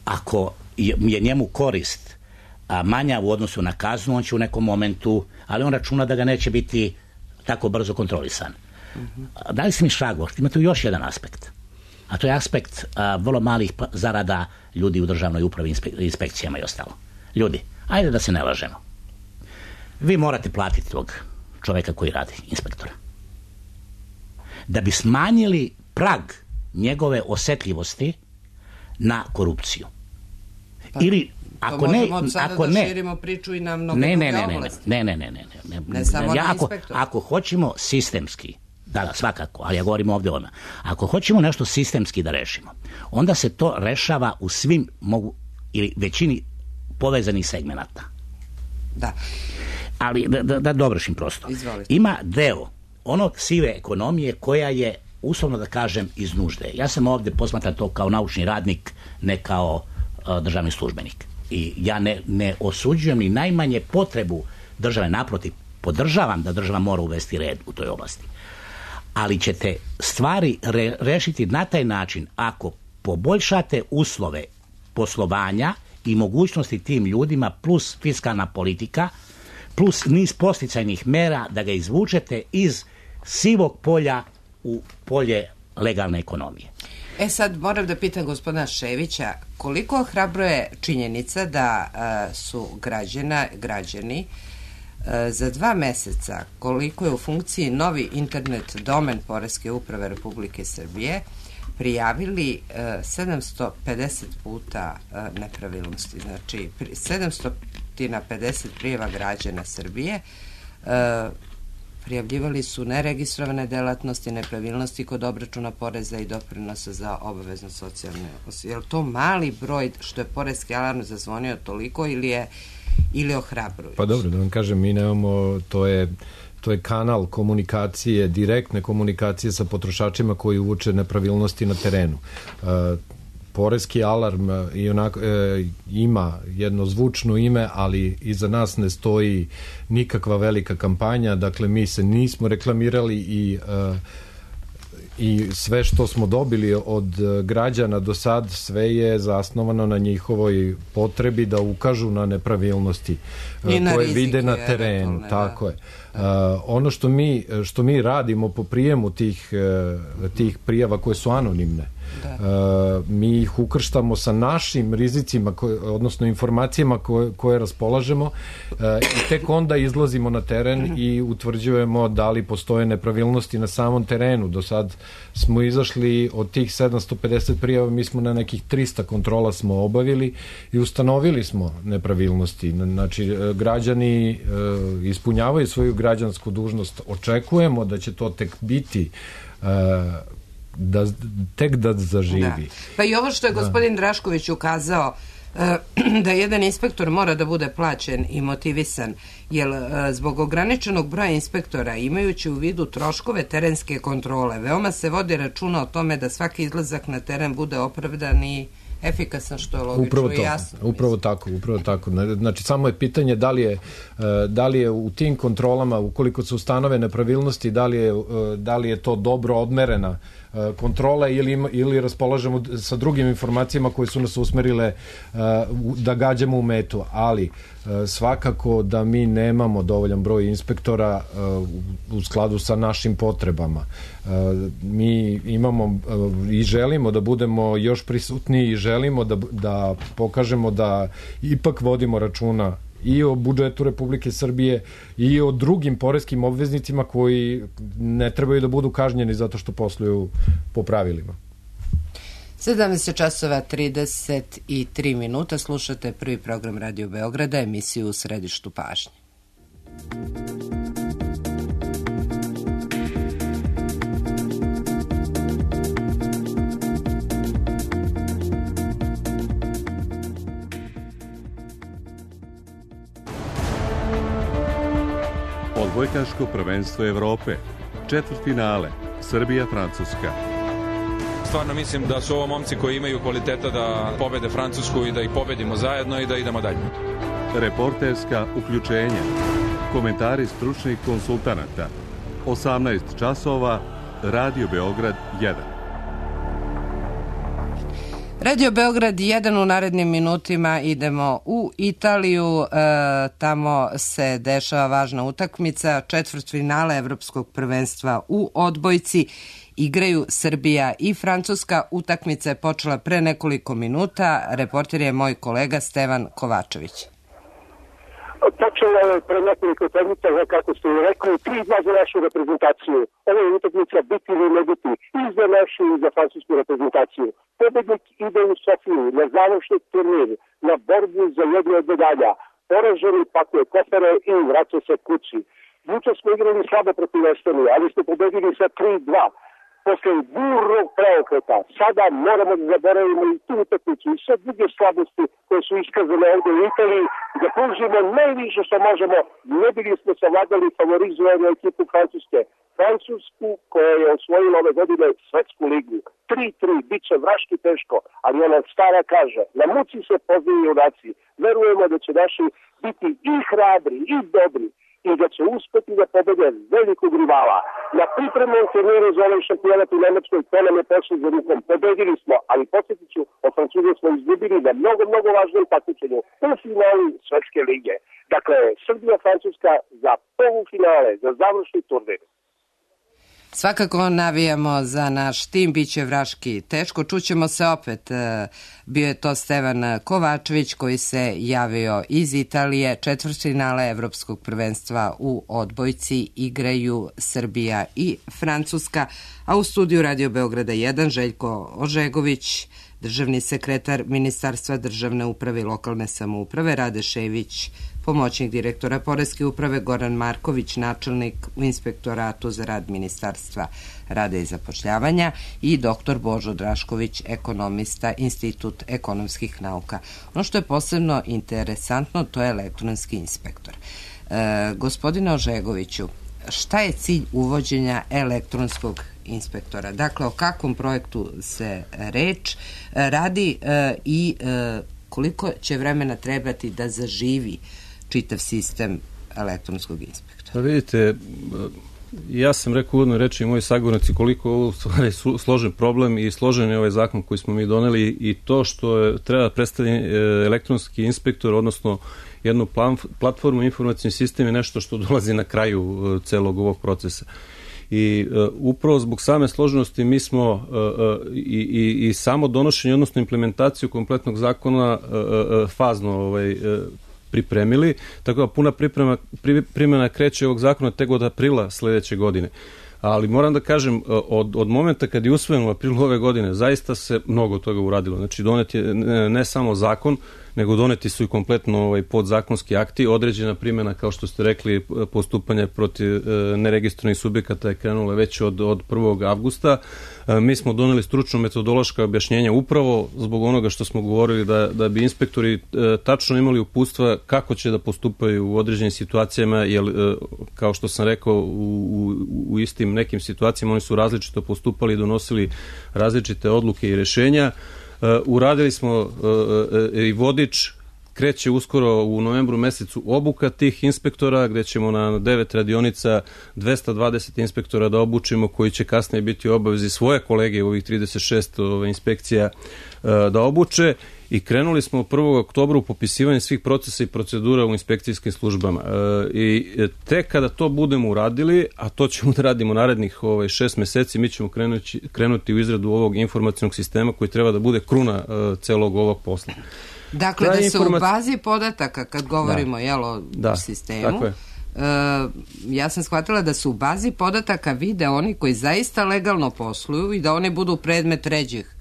Ako je njemu korist a manja u odnosu na kaznu, on će u nekom momentu, ali on računa da ga neće biti tako brzo kontrolisan. Mm-hmm. Da li si mi šrago? Ima tu još jedan aspekt. A to je aspekt a, vrlo malih zarada ljudi u državnoj upravi, inspe, inspekcijama i ostalo. Ljudi, ajde da se ne lažemo. Vi morate platiti tog čoveka koji radi, inspektora. Da bi smanjili prag njegove osetljivosti na korupciju. Pa. Ili ako ne, ako da ne, širimo priču i na mnogo ne, ne, druge ne, oblasti. Ne, ne, ne, ne, ne, ne samo ja, na ako, inspektor. Ako hoćemo sistemski, da, da, svakako, ali ja govorim ovdje o ona. Ako hoćemo nešto sistemski da rešimo, onda se to rešava u svim mogu, ili većini povezanih segmenata. Da. Ali da, da, da dovršim prosto. Izvolite. Ima deo onog sive ekonomije koja je, uslovno da kažem, iz nužde. Ja sam ovdje posmatran to kao naučni radnik, ne kao uh, državni službenik. I ja ne, ne osuđujem ni najmanje potrebu države, naprotiv, podržavam da država mora uvesti red u toj oblasti. Ali ćete stvari re, rešiti na taj način ako poboljšate uslove poslovanja i mogućnosti tim ljudima plus fiskalna politika, plus niz posticajnih mera da ga izvučete iz sivog polja u polje legalne ekonomije. E sad moram da pitam gospodina Ševića, koliko hrabro je činjenica da uh, su građana, građani uh, za dva meseca, koliko je u funkciji novi internet domen Poreske uprave Republike Srbije, prijavili uh, sedamsto pedeset puta uh, nepravilnosti. Znači, sedamsto pedeset prijava građana Srbije uh, prijavljivali su neregistrovane delatnosti, nepravilnosti kod obračuna poreza i doprinosa za obavezno socijalne osnovne. Je li to mali broj što je poreski alarm zazvonio toliko ili je ili ohrabrujući? Pa dobro, da vam kažem, mi nemamo, to je to je kanal komunikacije, direktne komunikacije sa potrošačima koji uče nepravilnosti na terenu. Uh, Poreski alarm i onako, e, ima jedno zvučno ime, ali iza nas ne stoji nikakva velika kampanja, dakle mi se nismo reklamirali i, e, i sve što smo dobili od građana do sad, sve je zasnovano na njihovoj potrebi da ukažu na nepravilnosti I na koje rizike, vide na terenu, tako je. Uh, ono što mi, što mi radimo po prijemu tih, uh, tih prijava koje su anonimne, uh, mi ih ukrštamo sa našim rizicima, koje, odnosno informacijama koje, koje raspolažemo uh, i tek onda izlazimo na teren i utvrđujemo da li postoje nepravilnosti na samom terenu. Do sad smo izašli od tih sedamsto pedeset prijava, mi smo na nekih trista kontrola smo obavili i ustanovili smo nepravilnosti. Znači, građani uh, ispunjavaju svoju građansku dužnost, očekujemo da će to tek biti uh, da, tek da zaživi. Da. Pa i ovo što je gospodin da. Drašković ukazao uh, da jedan inspektor mora da bude plaćen i motivisan, jer uh, zbog ograničenog broja inspektora, imajući u vidu troškove terenske kontrole, veoma se vodi računa o tome da svaki izlazak na teren bude opravdan i efikasan, što je logično upravo i jasno. Upravo mislim. tako, upravo tako. Znači, samo je pitanje da li je, da li je u tim kontrolama, ukoliko se ustanove nepravilnosti, da li je, da li je to dobro odmerena kontrola ili, ima, ili raspolažemo sa drugim informacijama koje su nas usmerile da gađamo u metu, ali svakako da mi nemamo dovoljan broj inspektora u skladu sa našim potrebama. Mi imamo i želimo da budemo još prisutniji i želimo da, da pokažemo da ipak vodimo računa i o budžetu Republike Srbije i o drugim poreskim obveznicima koji ne trebaju da budu kažnjeni zato što posluju po pravilima. sedamnaest časova trideset tri minuta, slušate prvi program Radio Beograda, emisiju U središtu pažnje. Odbojkaško prvenstvo Evrope, četvrtfinale, Srbija-Francuska. Stvarno mislim da su ovo momci koji imaju kvaliteta da pobede Francusku i da ih pobedimo zajedno i da idemo dalje. Reporterska uključenja, komentari stručnih konsultanata, osamnaest časova, Radio Beograd jedan. Radio Beograd jedan, u narednim minutima idemo u Italiju, e, tamo se dešava važna utakmica, četvrtfinale Evropskog prvenstva u odbojci. Igraju Srbija i Francuska. Utakmica je počela pre nekoliko minuta. Reporter je moj kolega Stevan Kovačević. Počela je pre nekoliko utakmica, kako ste rekli, tri dva za našu reprezentaciju. Ovo je utakmica biti ili ne biti i za našu i za francusku reprezentaciju. Pobednik ide u Sofiju na završni turnir, na borbu za jednu od medalja. Poraženi pakuje kofere i vraća se kući. Juče smo igrali slabo protiv Estonije, ali smo pobedili sa tri dva. Posle burnog preokreta, sada moramo da zaboravimo i tu utakmicu i sve druge slabosti koje su iskazane ovdje u Italiji, da pružimo najviše što možemo, ne bili smo savladali favorizovanu ekipu Francuske. Francusku koja je osvojila ove godine svetsku ligu. tri tri, bit će vraški teško, ali ona stara kaže, na muci se poznaju junaci. Verujemo da će naši biti i hrabri, i dobri, i da će uspeti da pobede velikog rivala. Na pripremnom turniru za ovaj šampionat u Nemačkoj to nam je pošlo za rukom. Pobedili smo, ali podsjetit ću, od Francuza smo izgubili na mnogo, mnogo važnom takmičenju u finalu Svetske lige. Dakle, Srbija-Francuska za polufinale, za završni turnir. Svakako navijamo za naš tim, bit će vraški teško. Čućemo se opet. Bio je to Stevan Kovačević koji se javio iz Italije. Četvrtfinale Evropskog prvenstva u odbojci igraju Srbija i Francuska, a u studiju Radio Beograda jedan Željko Ožegović, državni sekretar Ministarstva državne uprave i lokalne samouprave, Rade Šević, pomoćnik direktora Poreske uprave, Goran Marković, načelnik u Inspektoratu za rad Ministarstva rada i zapošljavanja i doktor Božo Drašković, ekonomista, Institut ekonomskih nauka. Ono što je posebno interesantno, to je elektronski inspektor. E, gospodine Ožegoviću, šta je cilj uvođenja elektronskog inspektora? Dakle, o kakvom projektu se reč radi e, i e, koliko će vremena trebati da zaživi čitav sistem elektronskog inspektora? Pa vidite, ja sam rekao uvodno reći i moji sagovornici koliko je ovo složen problem i složen je ovaj zakon koji smo mi doneli i to što je, treba predstaviti elektronski inspektor, odnosno jednu platformu, informacijni sistem je nešto što dolazi na kraju celog ovog procesa. I uh, upravo zbog same složenosti mi smo uh, uh, i, i, i samo donošenje, odnosno implementaciju kompletnog zakona uh, uh, fazno ovaj, uh, pripremili, tako da puna priprema, pri, primjena kreće ovog zakona tek od aprila sledeće godine. Ali moram da kažem, od, od momenta kad je usvojen u aprilu ove godine, zaista se mnogo toga uradilo. Znači, donet je ne, ne samo zakon, nego doneti su i kompletno ovaj, podzakonski akti, određena primjena, kao što ste rekli, postupanje protiv e, neregistrovanih subjekata je krenula već od, od prvog avgusta. E, mi smo doneli stručno metodološka objašnjenja upravo zbog onoga što smo govorili da, da bi inspektori e, tačno imali uputstva kako će da postupaju u određenim situacijama, jer e, kao što sam rekao, u, u, u istim nekim situacijama oni su različito postupali i donosili različite odluke i rešenja. Uh, uradili smo uh, uh, i vodič, kreće uskoro u novembru mesecu obuka tih inspektora, gde ćemo na devet radionica dvesta dvadeset inspektora da obučimo, koji će kasnije biti u obavezi svoje kolege u ovih trideset šest uh, inspekcija uh, da obuče. I krenuli smo prvog oktobra u popisivanje svih procesa i procedura u inspekcijskim službama. E, I tek kada to budemo uradili, a to ćemo da radimo narednih ovaj, šest meseci, mi ćemo krenuti, krenuti u izradu ovog informacionog sistema koji treba da bude kruna e, celog ovog posla. Dakle, da, da se informac... u bazi podataka, kad govorimo da. Jel, o da, sistemu, tako je. Uh, ja sam shvatila da su u bazi podataka vide oni koji zaista legalno posluju i da oni budu predmet ređih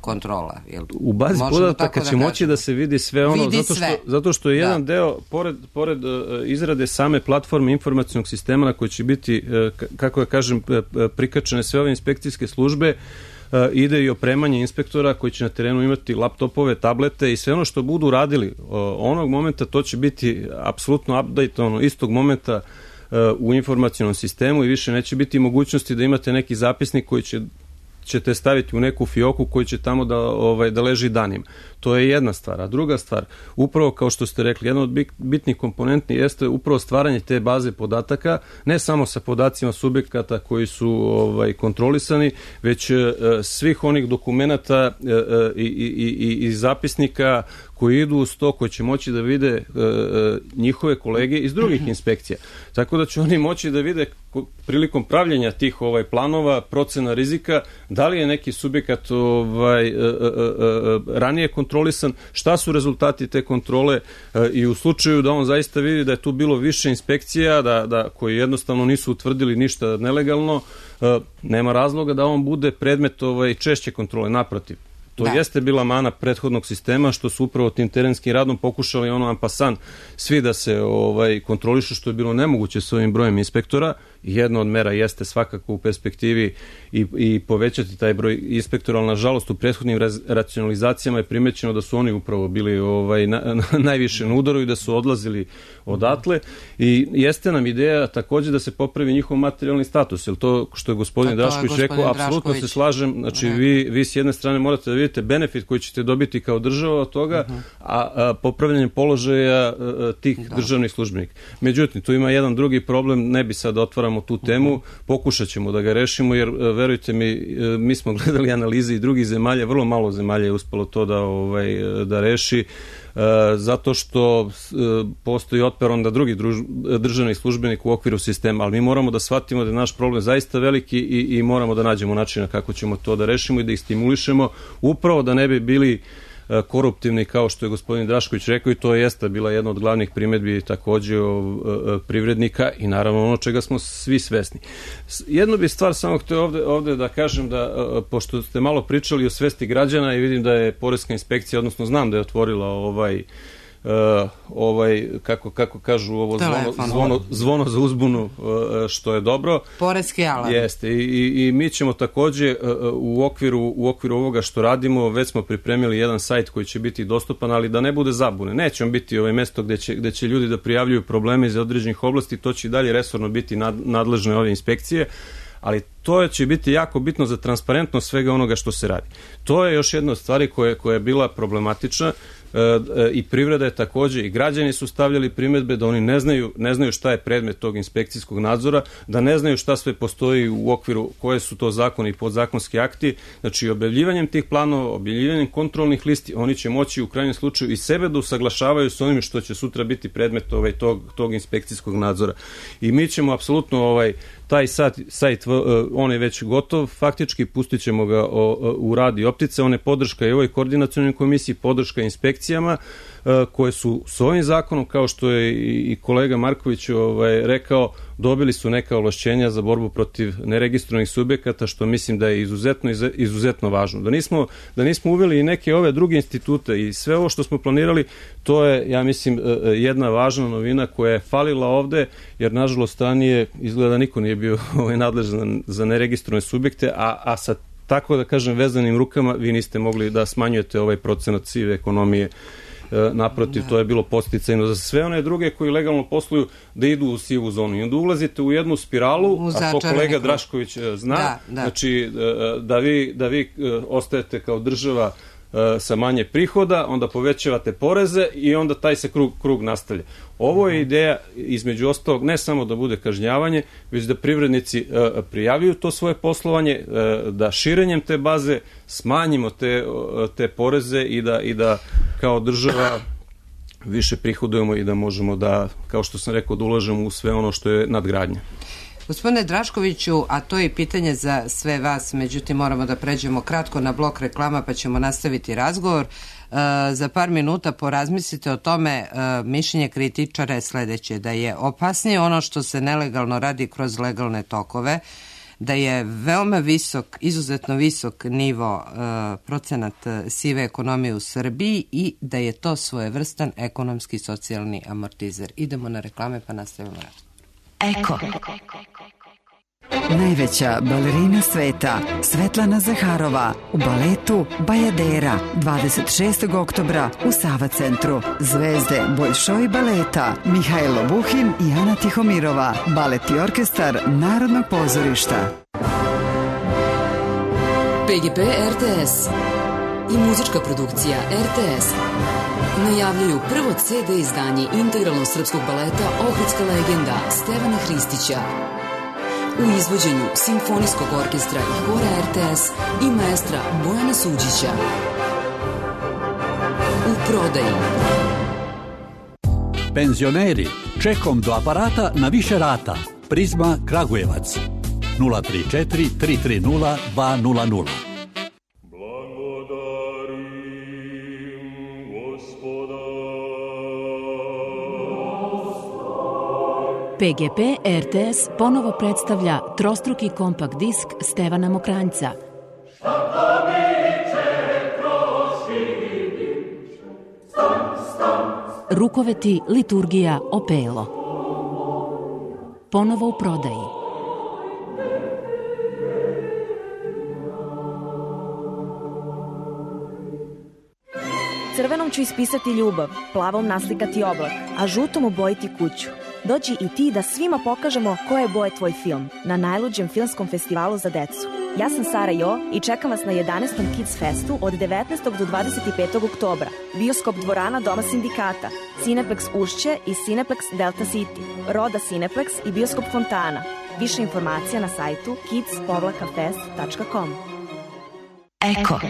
kontrola. Jel, u bazi podataka će da moći da se vidi sve ono, vidi zato, što, sve. zato što je jedan da. deo, pored, pored uh, izrade same platforme informacionog sistema na koji će biti, uh, kako ja kažem, uh, prikačene sve ove inspekcijske službe, uh, ide i opremanje inspektora koji će na terenu imati laptopove, tablete i sve ono što budu radili uh, onog momenta, to će biti apsolutno update, ono, istog momenta uh, u informacionom sistemu i više neće biti mogućnosti da imate neki zapisnik koji će ćete staviti u neku fioku koji će tamo da, ovaj, da leži danima. To je jedna stvar. A druga stvar, upravo kao što ste rekli, jedna od bitnih komponenti jeste upravo stvaranje te baze podataka, ne samo sa podacima subjekata koji su ovaj, kontrolisani, već e, svih onih dokumenata e, i, i, i, i zapisnika koji idu uz to, koji će moći da vide e, njihove kolege iz drugih inspekcija. Tako da će oni moći da vide prilikom pravljenja tih ovaj, planova, procena rizika, da li je neki subjekat ovaj, e, e, e, ranije kontrolisan, šta su rezultati te kontrole e, i u slučaju da on zaista vidi da je tu bilo više inspekcija, da, da koji jednostavno nisu utvrdili ništa nelegalno, e, nema razloga da on bude predmet ovaj, češće kontrole, naprotiv. To da. jeste bila mana prethodnog sistema, što su upravo tim terenskim radom pokušali ono ampasan svi da se ovaj, kontrolišu, što je bilo nemoguće s ovim brojem inspektora. Jedna od mera jeste svakako u perspektivi i, i povećati taj broj inspektora, ali nažalost u prethodnim raz, racionalizacijama je primećeno da su oni upravo bili ovaj, na, na, najviše na udaru i da su odlazili odatle. I jeste nam ideja takođe da se popravi njihov materijalni status, jer to što je gospodin Drašković rekao, apsolutno se slažem. Znači vi, vi s jedne strane morate da vidite dobijete benefit koji ćete dobiti kao država od toga, uh-huh. a, a popravljanje položaja a, tih da. državnih službenika. Međutim, tu ima jedan drugi problem, ne bi sad otvaramo tu temu, uh-huh. pokušat ćemo da ga rešimo, jer verujte mi, mi smo gledali analize i drugih zemalja, vrlo malo zemalja je uspelo to da, ovaj, da reši, zato što postoji otpor onda drugi druž, državni službenik u okviru sistema, ali mi moramo da shvatimo da je naš problem zaista veliki i, i moramo da nađemo načina kako ćemo to da rešimo i da ih stimulišemo, upravo da ne bi bili koruptivni kao što je gospodin Drašković rekao, i to jeste bila jedna od glavnih primedbi takođe privrednika i naravno ono čega smo svi svesni. Jednu bi stvar samo htio ovde, ovde da kažem da, pošto ste malo pričali o svesti građana i vidim da je Poreska inspekcija, odnosno znam da je otvorila ovaj Uh, ovaj, kako, kako kažu ovo zvono, zvono, zvono za uzbunu, uh, što je dobro. Poreski alarm. Jeste, i, i, i mi ćemo takođe uh, u, okviru, u okviru ovoga što radimo, već smo pripremili jedan sajt koji će biti dostupan, ali da ne bude zabune. Nećemo biti ovaj mesto gde će, gde će ljudi da prijavljuju probleme iz određenih oblasti, to će i dalje resorno biti nad, nadležne ove inspekcije, ali to će biti jako bitno za transparentnost svega onoga što se radi. To je još jedna od stvari koja, koja je bila problematična, i privreda je takođe, i građani su stavljali primedbe da oni ne znaju, ne znaju šta je predmet tog inspekcijskog nadzora, da ne znaju šta sve postoji u okviru, koje su to zakoni i podzakonski akti. Znači, objavljivanjem tih planova, objavljivanjem kontrolnih listi, oni će moći u krajnjem slučaju i sebe da usaglašavaju s onim što će sutra biti predmet ovaj, tog, tog inspekcijskog nadzora. I mi ćemo apsolutno ovaj, taj sajt, sajt, on je već gotov, faktički pustit ćemo ga u rad i optice, on je podrška i ovoj koordinacionoj komisiji, podrška inspekcijama koje su s ovim zakonom, kao što je i kolega Marković ovaj, rekao, dobili su neka ovlašćenja za borbu protiv neregistrovanih subjekata, što mislim da je izuzetno, izuzetno važno. Da nismo, da nismo uveli i neke ove druge institute i sve ovo što smo planirali, to je, ja mislim, jedna važna novina koja je falila ovde, jer nažalost ranije izgleda niko nije bio ovaj, nadležan za neregistrovane subjekte, a, a sa tako da kažem vezanim rukama vi niste mogli da smanjujete ovaj procenat sive ekonomije. Naprotiv, to je bilo podsticajno za sve one druge koji legalno posluju da idu u sivu zonu. I onda ulazite u jednu spiralu, a to kolega Drašković zna, da, da. Znači da vi, da vi ostajete kao država sa manje prihoda, onda povećavate poreze i onda taj se krug, krug nastavlja. Ovo je ideja, između ostalog, ne samo da bude kažnjavanje, već da privrednici uh, prijavljuju to svoje poslovanje, uh, da širenjem te baze smanjimo te, uh, te poreze i da, i da kao država više prihodujemo i da možemo da, kao što sam rekao, da ulažemo u sve ono što je nadgradnja. Gospodine Draškoviću, a to je pitanje za sve vas, međutim moramo da pređemo kratko na blok reklama pa ćemo nastaviti razgovor. E, za par minuta porazmislite o tome, e, mišljenje kritičara je sledeće, da je opasnije ono što se nelegalno radi kroz legalne tokove, da je veoma visok, izuzetno visok nivo e, procenat sive ekonomije u Srbiji i da je to svojevrstan ekonomski i socijalni amortizer. Idemo na reklame pa nastavimo razgovor. Eko. Najveća balerina sveta, Svetlana Zaharova, u baletu Bajadera, dvadeset šestog oktobra u Sava centru. Zvezde Boljšoj baleta, Mihajlo Buhin i Ana Tihomirova, balet i orkestar Narodnog pozorišta. P G P R T S i muzička produkcija R T S najavljuju prvo C D izdanje integralnog srpskog baleta Ohridska legenda Stevana Hristića u izvođenju Simfonijskog orkestra i hora R T S i maestra Bojana Suđića. U prodaji. Penzioneri, čekom do aparata na više rata. Prizma Kragujevac. nula tri četiri tri tri nula dva nula nula. P G P R T S ponovo predstavlja trostruki kompakt disk Stevana Mokranjca. Rukoveti, liturgija, opelo. Ponovo u prodaji. Crvenom ću ispisati ljubav, plavom naslikati oblak, a žutom obojiti kuću. Dođi i ti da svima pokažemo koje boje tvoj film na najluđem filmskom festivalu za decu. Ja sam Sara Jo i čekam vas na jedanaestom Kids Festu od devetnaestog do dvadeset petog oktobra. Bioskop dvorana Doma sindikata, Cineplex Ušće i Cineplex Delta City, Roda Cineplex i Bioskop Fontana. Više informacija na sajtu kids fest tačka com. Eko.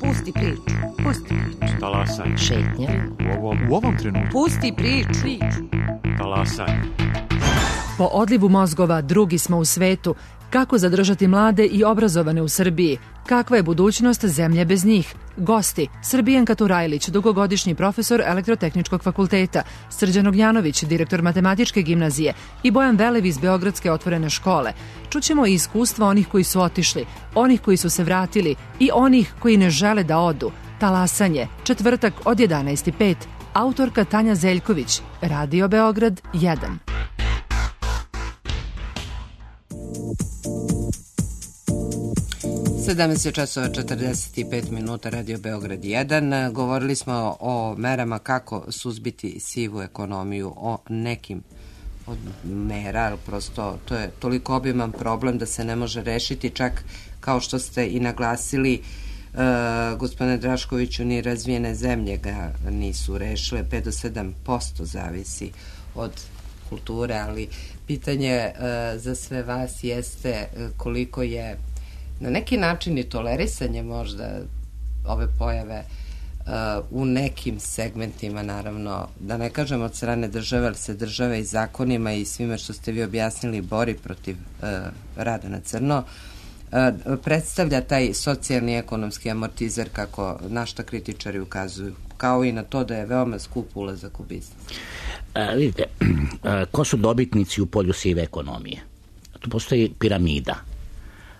Pusti priču, pusti priču. Talasaj. Šetnja. U ovom, u ovom trenutku. Pusti priču. Talasaj. Po odlivu mozgova drugi smo u svetu. Kako zadržati mlade i obrazovane u Srbiji? Kakva je budućnost zemlje bez njih? Gosti: Srbijanka Turajlić, dugogodišnji profesor Elektrotehničkog fakulteta, Srđan Ognjanović, direktor Matematičke gimnazije i Bojan Velev iz Beogradske otvorene škole. Čućemo i iskustva onih koji su otišli, onih koji su se vratili i onih koji ne žele da odu. Talasanje, četvrtak od jedanaest i pet. Autorka Tanja Zeljković, Radio Beograd jedan. sedamnaest časova četrdeset pet minuta, Radio Beograd jedan. Govorili smo o merama kako suzbiti sivu ekonomiju, o nekim od mera, ali prosto to je toliko obiman problem da se ne može rešiti, čak kao što ste i naglasili, Uh, gospodine Draškoviću, ni razvijene zemlje ga nisu rešile, pet do sedam posto zavisi od kulture, ali pitanje uh, za sve vas jeste uh, koliko je na neki način i tolerisanje možda ove pojave uh, u nekim segmentima, naravno, da ne kažem od strane države, ali se države i zakonima i svime što ste vi objasnili bori protiv uh, rada na crno, predstavlja taj socijalni ekonomski amortizer, kako na šta kritičari ukazuju, kao i na to da je veoma skup ulazak u biznis. A, vidite, a, ko su dobitnici u polju sive ekonomije? Tu postoji piramida.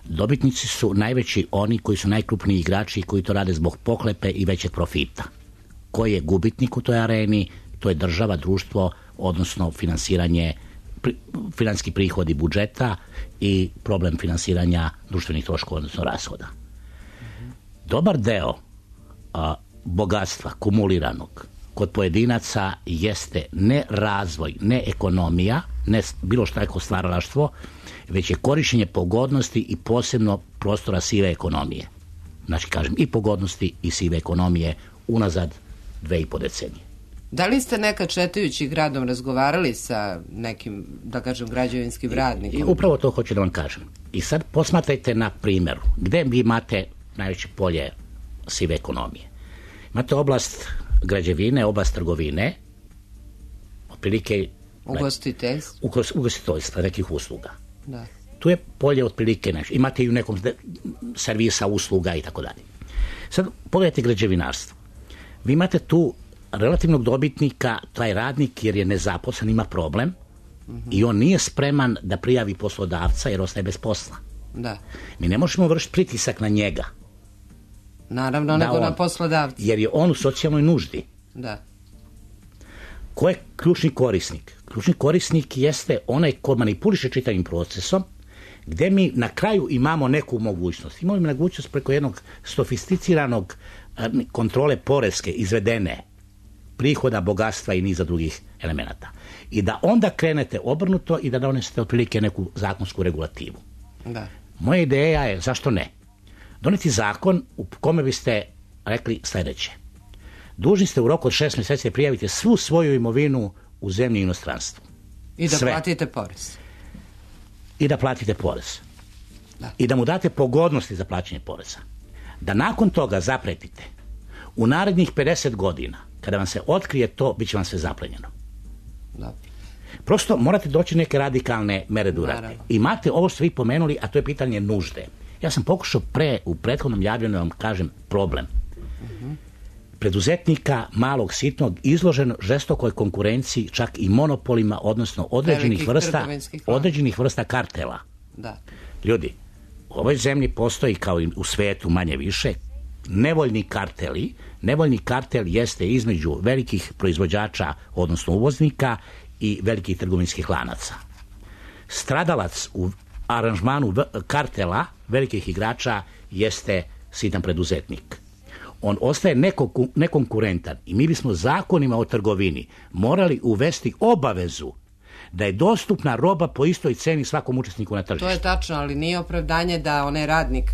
Dobitnici su najveći oni koji su najkrupniji igrači i koji to rade zbog pohlepe i većeg profita. Ko je gubitnik u toj areni? To je država, društvo, odnosno finansiranje, finansijski prihodi budžeta i problem finansiranja društvenih troškova, odnosno rashoda. Dobar deo a, bogatstva kumuliranog kod pojedinaca jeste ne razvoj, ne ekonomija, ne bilo šta jako stvaralaštvo, već je korišćenje pogodnosti i posebno prostora sive ekonomije. Znači, kažem, i pogodnosti i sive ekonomije unazad dve i po decenije. Da li ste nekad šetajući gradom razgovarali sa nekim, da kažem, građevinskim radnikom? I, i upravo to hoću da vam kažem. I sad posmatrajte na primjeru. Gde vi imate najveće polje sive ekonomije? Imate oblast građevine, oblast trgovine, otprilike ugostiteljstva, ugostiteljstva, nekih usluga. Da. Tu je polje otprilike nešto. Imate i u nekom servisa usluga i tako dalje. Sad pogledajte građevinarstvo. Vi imate tu relativnog dobitnika, taj radnik, jer je nezaposlen, ima problem, mm-hmm. i on nije spreman da prijavi poslodavca jer ostaje bez posla. Da. Mi ne možemo vršiti pritisak na njega. Naravno, nego on, na poslodavca. Jer je on u socijalnoj nuždi. Da. Ko je ključni korisnik? Ključni korisnik jeste onaj ko manipuliše čitavim procesom, gde mi na kraju imamo neku mogućnost. Imamo mogućnost preko jednog sofisticiranog kontrole poreske izvedene prihoda, bogatstva i niza drugih elemenata. I da onda krenete obrnuto i da donesete otprilike neku zakonsku regulativu. Da. Moja ideja je, zašto ne? Doneti zakon u kome biste rekli sledeće. Dužni ste u roku od šest mjeseci prijavite svu svoju imovinu u zemlji i inostranstvu. I da Sve. platite porez. I da platite porez. Da. I da mu date pogodnosti za plaćanje poreza. Da nakon toga zapretite u narednih pedeset godina, kada vam se otkrije to, bit će vam sve zaplenjeno. Da. Prosto morate doći neke radikalne mere da uradite. Imate ovo što vi pomenuli, a to je pitanje nužde. Ja sam pokušao pre, u prethodnom javljanju da vam kažem problem. Uh-huh. Preduzetnika, malog, sitnog, izložen žestokoj konkurenciji, čak i monopolima, odnosno određenih vrsta, određenih vrsta kartela. Da. Ljudi, u ovoj zemlji postoji, kao i u svetu manje više, nevoljni karteli. Nevoljni kartel jeste između velikih proizvođača, odnosno uvoznika, i velikih trgovinskih lanaca. Stradalac u aranžmanu kartela velikih igrača jeste sitan preduzetnik. On ostaje nekonkurentan i mi bismo zakonima o trgovini morali uvesti obavezu da je dostupna roba po istoj ceni svakom učesniku na tržištu. To je tačno, ali nije opravdanje da onaj radnik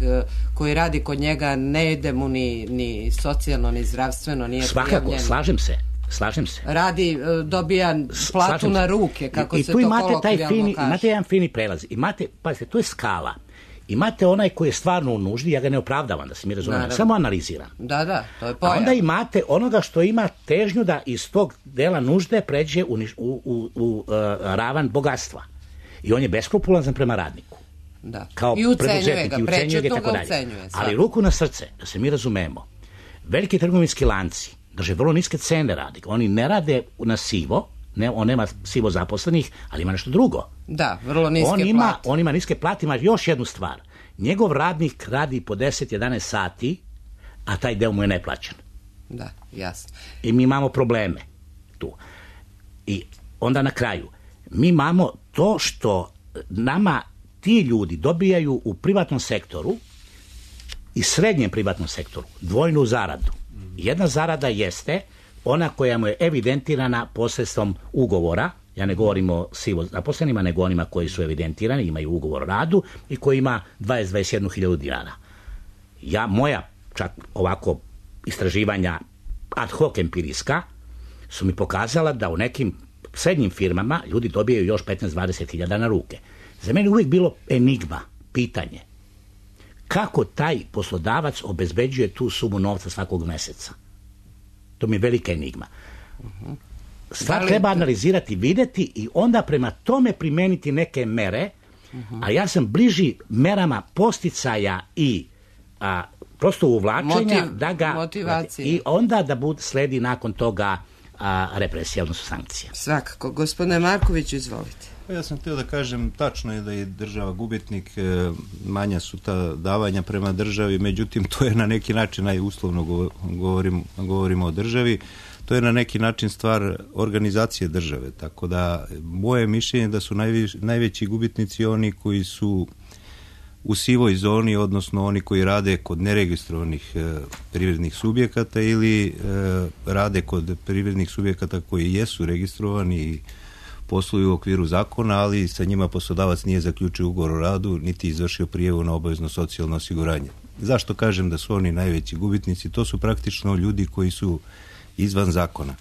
koji radi kod njega ne ide mu ni, ni socijalno, ni zdravstveno, nije prijavljen. Svakako, slažem se. Slažem se. Radi, dobija platu na ruke, kako I, se i tu to imate taj kolokvijalno fini, kaže. imate jedan fini prelaz. Imate, pazite, to je skala. Imate onaj koji je stvarno u nuždi, ja ga ne opravdavam, da se mi razumemo, samo analiziram. Da, da, to je pojam. A onda imate onoga što ima težnju da iz tog dela nužde pređe u, u, u, u uh, ravan bogatstva. I on je beskrupulazan prema radniku. Da. Kao I ucenjuje ga, prečetno ga ucenjuje. Ali ruku na srce, da se mi razumemo, veliki trgovinski lanci drže vrlo niske cene radnika. Oni ne rade na sivo, ne, on nema sivo zaposlenih, ali ima nešto drugo. Da, vrlo niske on ima, plate. On ima niske plate, ima još jednu stvar. Njegov radnik radi po deset jedanaest sati, a taj deo mu je neplaćen. Da, jasno. I mi imamo probleme tu. I onda na kraju, mi imamo to što nama ti ljudi dobijaju u privatnom sektoru i srednjem privatnom sektoru dvojnu zaradu. Jedna zarada jeste ona koja mu je evidentirana posredstvom ugovora, ja ne govorim o sivo zaposlenima, nego onima koji su evidentirani, imaju ugovor o radu i koji ima dvadeset do dvadeset jednu hiljadu dinara. Ja, moja čak ovako istraživanja ad hoc empirijska su mi pokazala da u nekim srednjim firmama ljudi dobijaju još petnaest do dvadeset hiljada na ruke. Za mene uvijek bilo enigma, pitanje. Kako taj poslodavac obezbeđuje tu sumu novca svakog meseca? To mi je velika enigma. Stvar treba analizirati, vidjeti i onda prema tome primeniti neke mere, a ja sam bliži merama posticaja i a, prosto uvlačenja Motiv, da ga motivacije. I onda da bud sledi nakon toga a, represija, odnosno sankcija. Svakako. Gospodine Markoviću, izvolite. Ja sam htio da kažem, tačno je da je država gubitnik, manja su ta davanja prema državi, međutim to je na neki način, najuslovno govorim, govorimo o državi, to je na neki način stvar organizacije države, tako da moje mišljenje da su najviš, najveći gubitnici oni koji su u sivoj zoni, odnosno oni koji rade kod neregistrovanih e, privrednih subjekata ili e, rade kod privrednih subjekata koji jesu registrovani i posluju u okviru zakona, ali sa njima poslodavac nije zaključio ugovor o radu, niti izvršio prijavu na obavezno socijalno osiguranje. Zašto kažem da su oni najveći gubitnici? To su praktično ljudi koji su izvan zakona.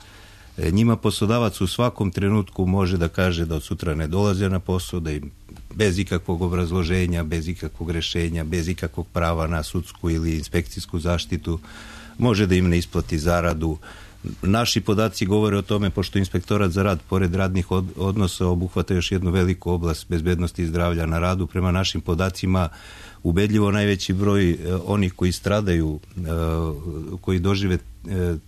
E, njima poslodavac u svakom trenutku može da kaže da od sutra ne dolaze na posao, da im bez ikakvog obrazloženja, bez ikakvog rešenja, bez ikakvog prava na sudsku ili inspekcijsku zaštitu, može da im ne isplati zaradu. Naši podaci govore o tome, pošto Inspektorat za rad, pored radnih odnosa, obuhvata još jednu veliku oblast bezbednosti i zdravlja na radu. Prema našim podacima, ubedljivo najveći broj onih koji stradaju, koji dožive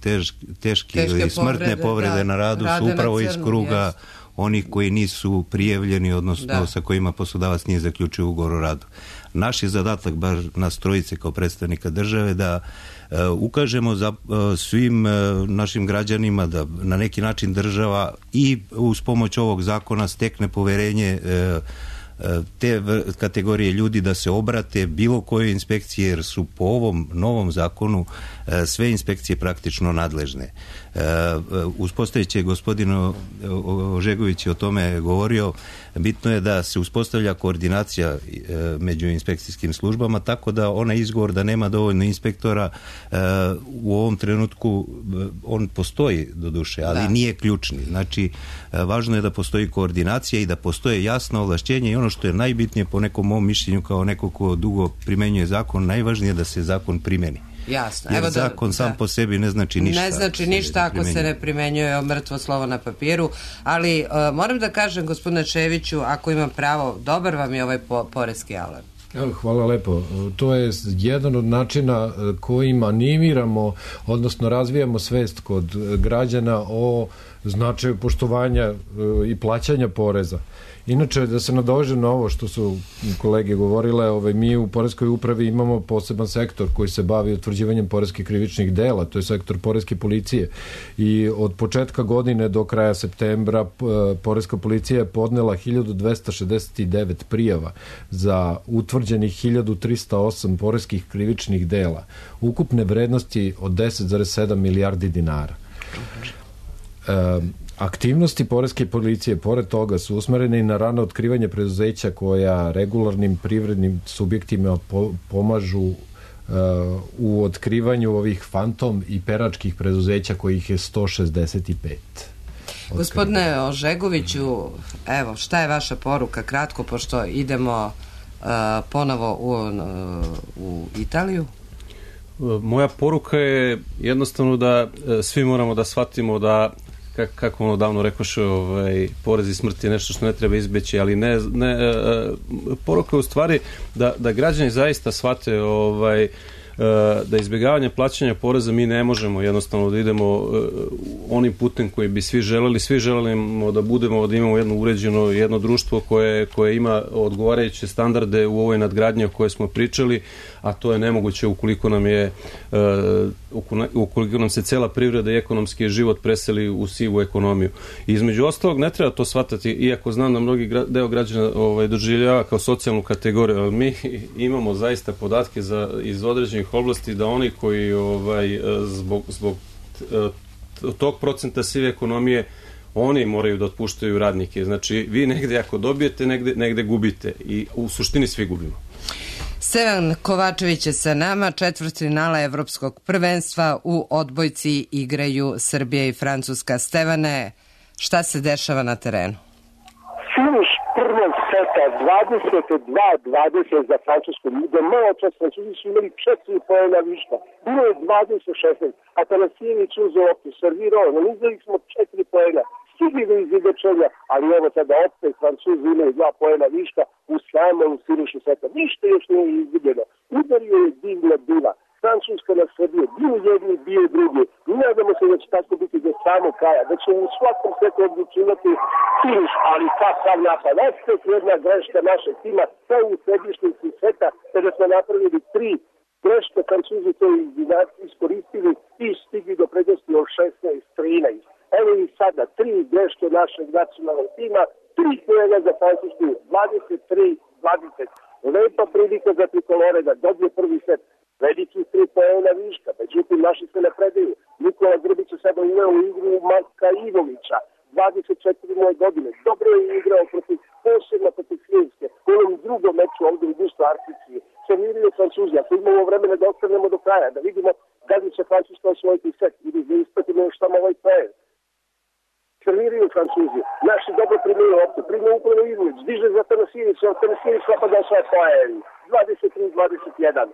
tež, teške ili smrtne povrede, povrede da, na radu su upravo iz kruga onih koji nisu prijavljeni, odnosno da. sa kojima poslodavac nije zaključio ugovor o radu. Naš je zadatak, bar nas trojice kao predstavnika države, da uh, ukažemo za uh, svim uh, našim građanima da na neki način država i uz pomoć ovog zakona stekne poverenje uh, te kategorije ljudi da se obrate bilo kojoj inspekciji, jer su po ovom novom zakonu sve inspekcije praktično nadležne. Uspostavit će gospodin Ožegović o tome govorio, bitno je da se uspostavlja koordinacija među inspekcijskim službama, tako da onaj izgovor da nema dovoljno inspektora u ovom trenutku on postoji do duše, ali da. nije ključni. Znači, važno je da postoji koordinacija i da postoje jasno ovlašćenje i ono što je najbitnije po nekom mom mišljenju kao neko ko dugo primenjuje zakon, najvažnije je da se zakon primeni. Jasno. Jer Evo da, zakon sam da. po sebi ne znači ništa. Ne znači ništa ako se ne primenjuje mrtvo slovo na papiru, ali uh, moram da kažem, gospodine Čeviću, ako imam pravo, dobar vam je ovaj po, poreski alarm. Hvala lepo. To je jedan od načina kojim animiramo, odnosno razvijamo svest kod građana o značaju poštovanja i plaćanja poreza. Inače, da se nadovežem na ovo što su kolege govorile, ovaj, mi u poreskoj upravi imamo poseban sektor koji se bavi utvrđivanjem poreskih krivičnih dela, to je sektor poreske policije. I od početka godine do kraja septembra poreska policija je podnela hiljadu dvesta šezdeset devet prijava za utvrđenih hiljadu trista osam poreskih krivičnih dela, ukupne vrednosti od deset zarez sedam milijardi dinara. Um, Aktivnosti poreske policije, pored toga, su usmerene i na rano otkrivanje preduzeća koja regularnim privrednim subjektima po, pomažu uh, u otkrivanju ovih fantom i peračkih preduzeća kojih je sto šezdeset pet. Gospodine Ožegoviću, evo, šta je vaša poruka kratko, pošto idemo uh, ponovo u, uh, u Italiju? Moja poruka je jednostavno da svi moramo da shvatimo da, kako ono davno rekoše, ovaj, porez i smrt je nešto što ne treba izbeći, ali ne, ne poruka je u stvari da, da građani zaista shvate ovaj, da izbjegavanje plaćanja poreza mi ne možemo jednostavno da idemo onim putem koji bi svi želeli. Svi želimo da budemo, da imamo jedno uređeno, jedno društvo koje, koje ima odgovarajuće standarde u ovoj nadgradnji o kojoj smo pričali, a to je nemoguće ukoliko nam je ukoliko nam se cela privreda i ekonomski život preseli u sivu ekonomiju. I između ostalog ne treba to shvatati, iako znam da mnogi deo građana ovaj, doživljava kao socijalnu kategoriju, ali mi imamo zaista podatke za, iz određenih oblasti da oni koji ovaj, zbog, zbog tog procenta sive ekonomije oni moraju da otpuštaju radnike. Znači, vi negde ako dobijete, negde, negde gubite i u suštini svi gubimo. Stevan Kovačević je sa nama, četvrtfinala Evropskog prvenstva u odbojci igraju Srbija i Francuska. Stevane, šta se dešava na terenu? Finiš prvog seta dvadeset dva dvadeset za Francusku. Do malo čas Francuzi su imali četiri poena viška. Bilo je dvadeset šesnaest. Atanasijević uzeo loptu, servirao, nanizali smo četiri poena. Stigli do izjedečenja, ali evo sada opet Francuzi imaju dva poena viška u samom finišu seta. Ništa još nije izgubljeno. Udario je divna diva. Francuska na Srbije, bio jedni, bio drugi. I nadamo se da će tako biti do samog kraja, da će u svakom setu odlučivati finiš, ali kakav napad. Opet jedna greška našeg tima, kao u središnici seta, kada smo napravili tri greške, Francuzi to iskoristili i stigli do prednosti od šesnaest trinaest. Evo i sada, tri greške našeg nacionalnog tima, tri poena za Francusku, dvadeset tri dvadeset. Lepa prilika za trikolore da dobije prvi set. Veliki tri poena viška, međutim naši se ne predaju. Nikola Grbić je sada uveo u igru Marka Ivovića, dvadeset četiri moje godine. Dobro je igrao protiv, posebno protiv Finjske. U ovom drugom meču ovdje u Busto Artici serviraju Francuzi. Ako imamo vremena da ostanemo do kraja, da vidimo da li će Francuska osvojiti set ili da ispratimo još tamo ovaj poen. Serviraju Francuzi. Naši dobro primaju loptu, primaju upravo Ivović, diže za Tanasijević, a Tanasijević napada svoje poen. dvadeset tri dvadeset jedan.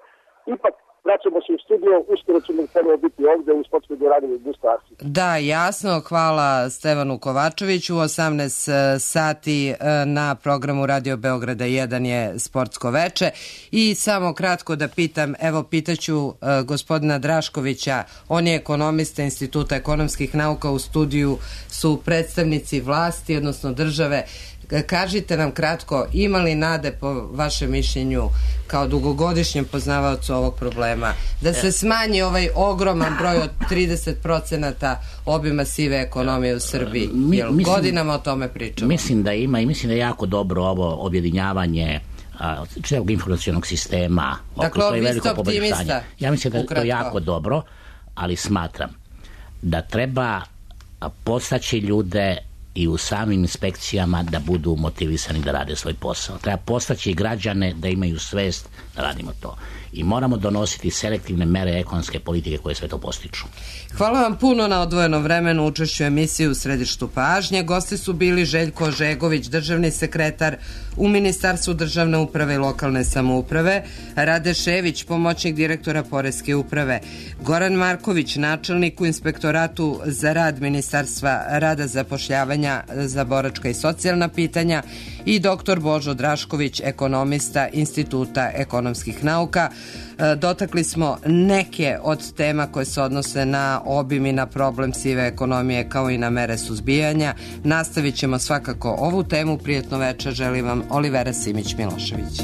Ipak, vraćamo se u studio, uskoro ćemo ponovo biti ovde u sportskoj dvorani u Busto Artici. Da, jasno, hvala Stevanu Kovačeviću. U osamnaest sati na programu Radio Beograda jedan je sportsko veče. I samo kratko da pitam, evo pitaću uh, gospodina Draškovića, on je ekonomista Instituta ekonomskih nauka, u studiju su predstavnici vlasti, odnosno države. Kažite nam kratko, ima li nade po vašem mišljenju kao dugogodišnjem poznavaocu ovog problema da se smanji ovaj ogroman broj od trideset procenata obima sive ekonomije u Srbiji? Jer mislim, godinama o tome pričamo. Mislim da ima i mislim da je jako dobro ovo objedinjavanje celog informacionog sistema. Dakle, vi ste optimista. Ja mislim da je to jako dobro, ali smatram da treba postaći ljude i u samim inspekcijama da budu motivisani da rade svoj posao. Treba postaći građane da imaju svest da radimo to. I moramo donositi selektivne mere ekonomske politike koje sve to postiču. Hvala vam puno na odvojenom vremenu učešću emisiji u središtu pažnje. Gosti su bili Željko Ožegović, državni sekretar u Ministarstvu državne uprave i lokalne samouprave, Rade Šević, pomoćnik direktora Poreske uprave, Goran Marković, načelnik u Inspektoratu za rad Ministarstva rada, zapošljavanja za boračka i socijalna pitanja i doktor Božo Drašković, ekonomista Instituta ekonomskih nauka. Dotakli smo neke od tema koje se odnose na obim i na problem sive ekonomije kao i na mere suzbijanja. Nastavit ćemo svakako ovu temu. Prijetno večer želim vam Olivera Simić Milošević.